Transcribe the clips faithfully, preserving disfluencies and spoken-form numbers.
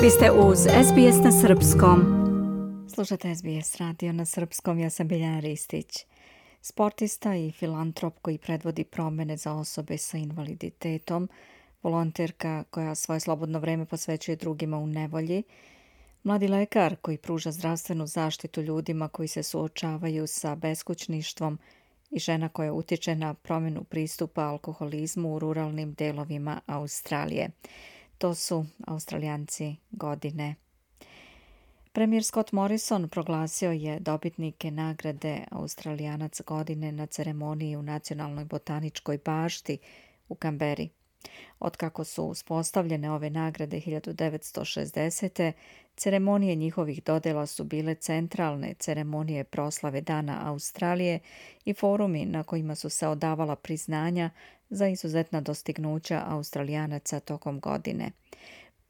Vi ste uz es be es na srpskom. Slušate es be es radio na srpskom, ja sam Biljana Ristić. Sportista i filantrop koji predvodi promjene za osobe sa invaliditetom, volonterka koja svoje slobodno vreme posvećuje drugima u nevolji, mladi lekar koji pruža zdravstvenu zaštitu ljudima koji se suočavaju sa beskućništvom i žena koja utječe na promjenu pristupa alkoholizmu u ruralnim delovima Australije. To su Australijanci godine. Premijer Scott Morrison proglasio je dobitnike nagrade Australijanac godine na ceremoniji u Nacionalnoj botaničkoj bašti u Kamberi. Otkako su uspostavljene ove nagrade hiljadu devetsto šezdesete. ceremonije njihovih dodjela su bile centralne ceremonije proslave Dana Australije i forumi na kojima su se odavala priznanja za izuzetna dostignuća Australijanaca tokom godine.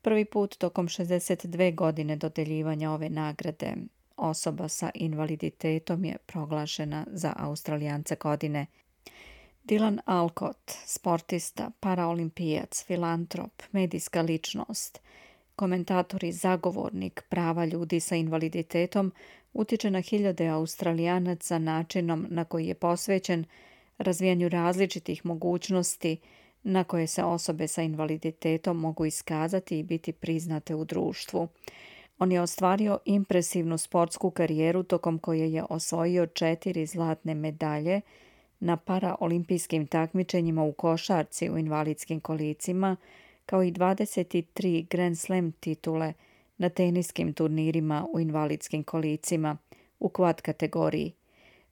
Prvi put tokom šezdeset dve godine dodjeljivanja ove nagrade osoba sa invaliditetom je proglašena za Australijanca godine. Dylan Alcott, sportista, paraolimpijac, filantrop, medijska ličnost, komentator i zagovornik prava ljudi sa invaliditetom, utječe na hiljade Australijanaca načinom na koji je posvećen razvijanju različitih mogućnosti na koje se osobe sa invaliditetom mogu iskazati i biti priznate u društvu. On je ostvario impresivnu sportsku karijeru tokom koje je osvojio četiri zlatne medalje na paraolimpijskim takmičenjima u košarci u invalidskim kolicima, kao i dvadeset tri Grand Slam titule na teniskim turnirima u invalidskim kolicima u quad kategoriji,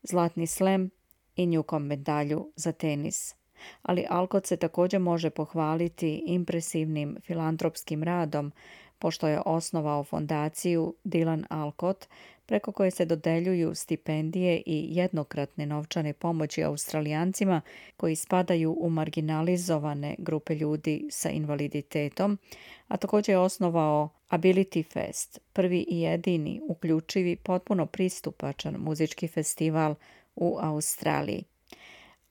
zlatni slam i Newcomb medalju za tenis. Ali Alcott se također može pohvaliti impresivnim filantropskim radom, pošto je osnovao fondaciju Dylan Alcott, preko koje se dodeljuju stipendije i jednokratne novčane pomoći Australijancima koji spadaju u marginalizovane grupe ljudi sa invaliditetom, a također je osnovao Ability Fest, prvi i jedini uključivi potpuno pristupačan muzički festival u Australiji.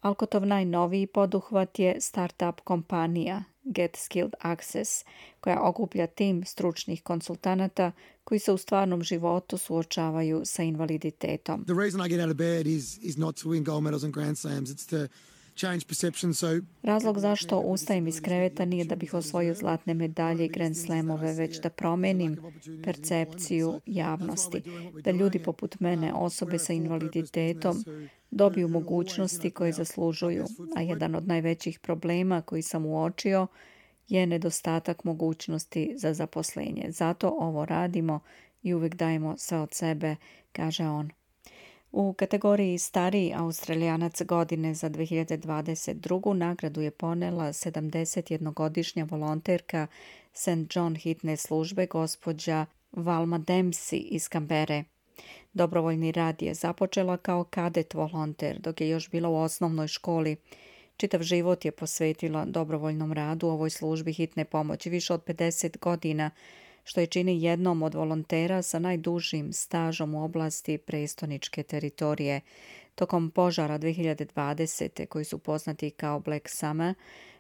Alcottov najnoviji poduhvat je start-up kompanija Get Skilled Access, koja okuplja tim stručnih konsultanata koji se u stvarnom životu suočavaju sa invaliditetom. The reason I get out of bed is is not to win gold medals and grand slams, it's to change perception. So Razlog zašto ustajem iz kreveta nije da bih osvojio zlatne medalje i grand slamove, već da promenim percepciju javnosti, da ljudi poput mene, osobe sa invaliditetom, dobiju mogućnosti koje zaslužuju, a jedan od najvećih problema koji sam uočio je nedostatak mogućnosti za zaposlenje. Zato ovo radimo i uvijek dajemo sve od sebe, kaže on. U kategoriji Stariji Australijanac godine za dve hiljade dvadeset drugu. nagradu je ponela sedamdesetjednogodišnja volonterka Saint John hitne službe gospođa Valma Dempsey iz Kambere. Dobrovoljni rad je započela kao kadet volonter dok je još bila u osnovnoj školi. Čitav život je posvetila dobrovoljnom radu u ovoj službi hitne pomoći više od pedeset godina, što je čini jednom od volontera sa najdužim stažom u oblasti prestoničke teritorije. Tokom požara dve hiljade dvadesete. koji su poznati kao Black Summer,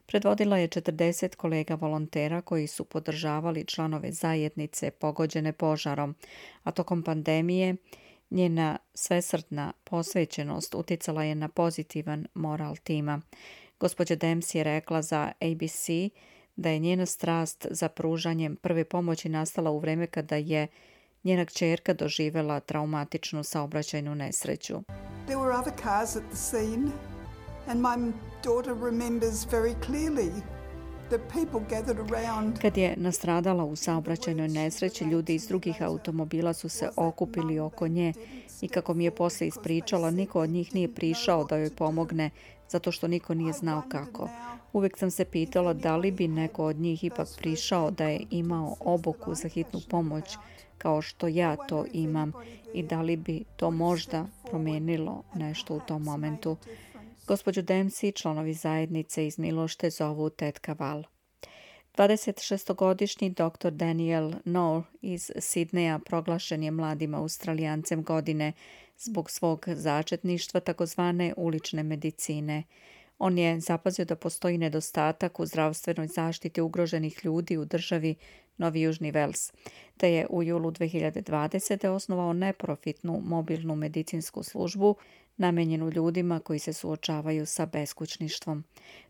predvodila je četrdeset kolega volontera koji su podržavali članove zajednice pogođene požarom, a tokom pandemije njena svesrdna posvećenost utjecala je na pozitivan moral tima. Gospođa Dempsey je rekla za A B C da je njena strast za pružanjem prve pomoći nastala u vrijeme kada je njena kćerka doživjela traumatičnu saobraćajnu nesreću. There were other cars at the scene and my daughter remembers very clearly the people gathered around. Kad je nastradala u saobraćajnoj nesreći, ljudi iz drugih automobila su se okupili oko nje i kako mi je poslije ispričala, niko od njih nije prišao da joj pomogne zato što niko nije znao kako. Uvijek sam se pitala da li bi neko od njih ipak prišao da je imao obuku za hitnu pomoć kao što ja to imam i da li bi to možda promijenilo nešto u tom momentu. Gospođu Dempsey članovi zajednice iz Milošte zovu tetka Val. dvadesetšestogodišnji doktor Daniel Noor iz Sidneja proglašen je mladim Australijancem godine zbog svog začetništva takozvane ulične medicine. On je zapazio da postoji nedostatak u zdravstvenoj zaštiti ugroženih ljudi u državi Novi Južni Vels, te je u julu dve hiljade dvadesete. osnovao neprofitnu mobilnu medicinsku službu namenjenu ljudima koji se suočavaju sa beskućništvom.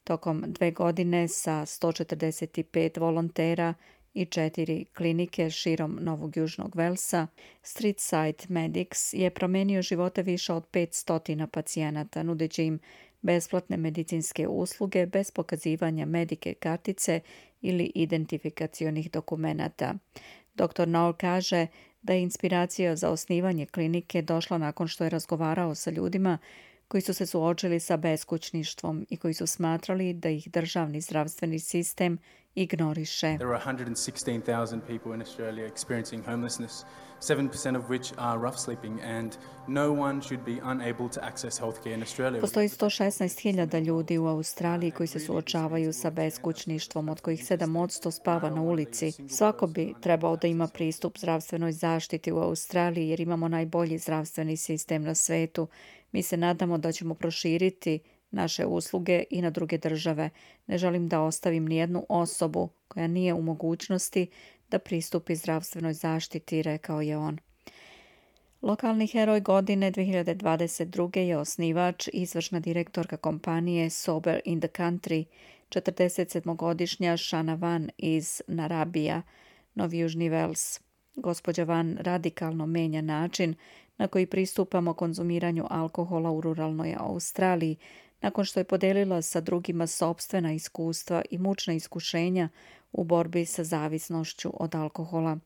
Tokom dve godine sa sto četrdeset pet volontera i četiri klinike širom Novog Južnog Velsa, Streetside Medics je promenio živote više od petsto pacijenata, nudeći im besplatne medicinske usluge bez pokazivanja medike kartice ili identifikacionih dokumenata. doktor Noel kaže da je inspiracija za osnivanje klinike došla nakon što je razgovarao sa ljudima koji su se suočili sa beskućništvom i koji su smatrali da ih državni zdravstveni sistem ignoriše. There are one hundred sixteen thousand people in Australia experiencing homelessness, seven percent of which are rough sleeping, and no one should be unable to access healthcare in Australia. Postoji sto šesnaest hiljada ljudi u Australiji koji se suočavaju sa beskućništvom, od kojih sedam posto spava na ulici. Svako bi trebao da ima pristup zdravstvenoj zaštiti u Australiji jer imamo najbolji zdravstveni sistem na svetu. Mi se nadamo da ćemo proširiti naše usluge i na druge države. Ne želim da ostavim nijednu osobu koja nije u mogućnosti da pristupi zdravstvenoj zaštiti, rekao je on. Lokalni heroj godine dve hiljade dvadeset druge je osnivač i izvršna direktorka kompanije Sober in the Country, četrdesetsedmogodišnja Shana Van iz Narrabija, Novi Južni Vels. Gospođa Van radikalno menja način na koji pristupamo konzumiranju alkohola u ruralnoj Australiji, nakon što je podelila sa drugima sopstvena iskustva i mučna iskušenja u borbi sa zavisnošću od alkohola.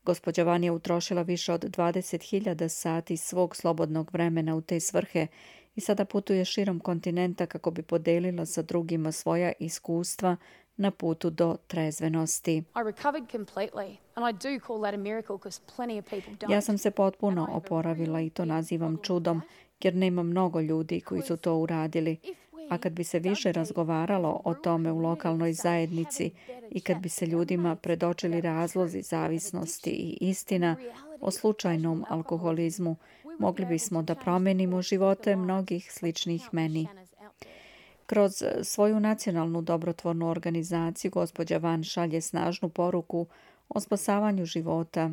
Gospođa Van je utrošila više od dvadeset hiljada sati svog slobodnog vremena u te svrhe i sada putuje širom kontinenta kako bi podelila sa drugima svoja iskustva na putu do trezvenosti. Ja sam se potpuno oporavila i to nazivam čudom, jer nema mnogo ljudi koji su to uradili. A kad bi se više razgovaralo o tome u lokalnoj zajednici i kad bi se ljudima predočili razlozi zavisnosti i istina o slučajnom alkoholizmu, mogli bismo da promenimo živote mnogih sličnih meni. Kroz svoju nacionalnu dobrotvornu organizaciju gospođa Van šalje snažnu poruku o spasavanju života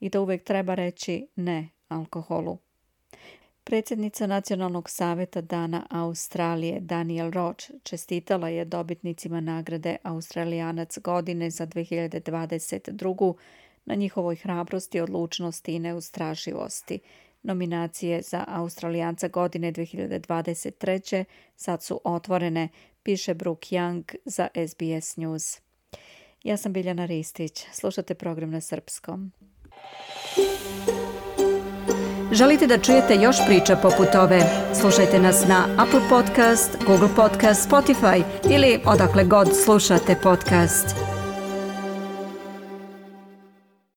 i da uvek treba reći ne alkoholu. Predsjednica Nacionalnog saveta Dana Australije Daniel Roach čestitala je dobitnicima nagrade Australijanac godine za dve hiljade dvadeset drugu na njihovoj hrabrosti, odlučnosti i neustrašivosti. Nominacije za Australijanca godine dve hiljade dvadeset treće sad su otvorene, piše Brooke Young za S B S News. Ja sam Biljana Ristić. Slušate program na srpskom. Želite da čujete još priča poput ove? Slušajte nas na Apple Podcast, Google Podcast, Spotify ili odakle god slušate podcast.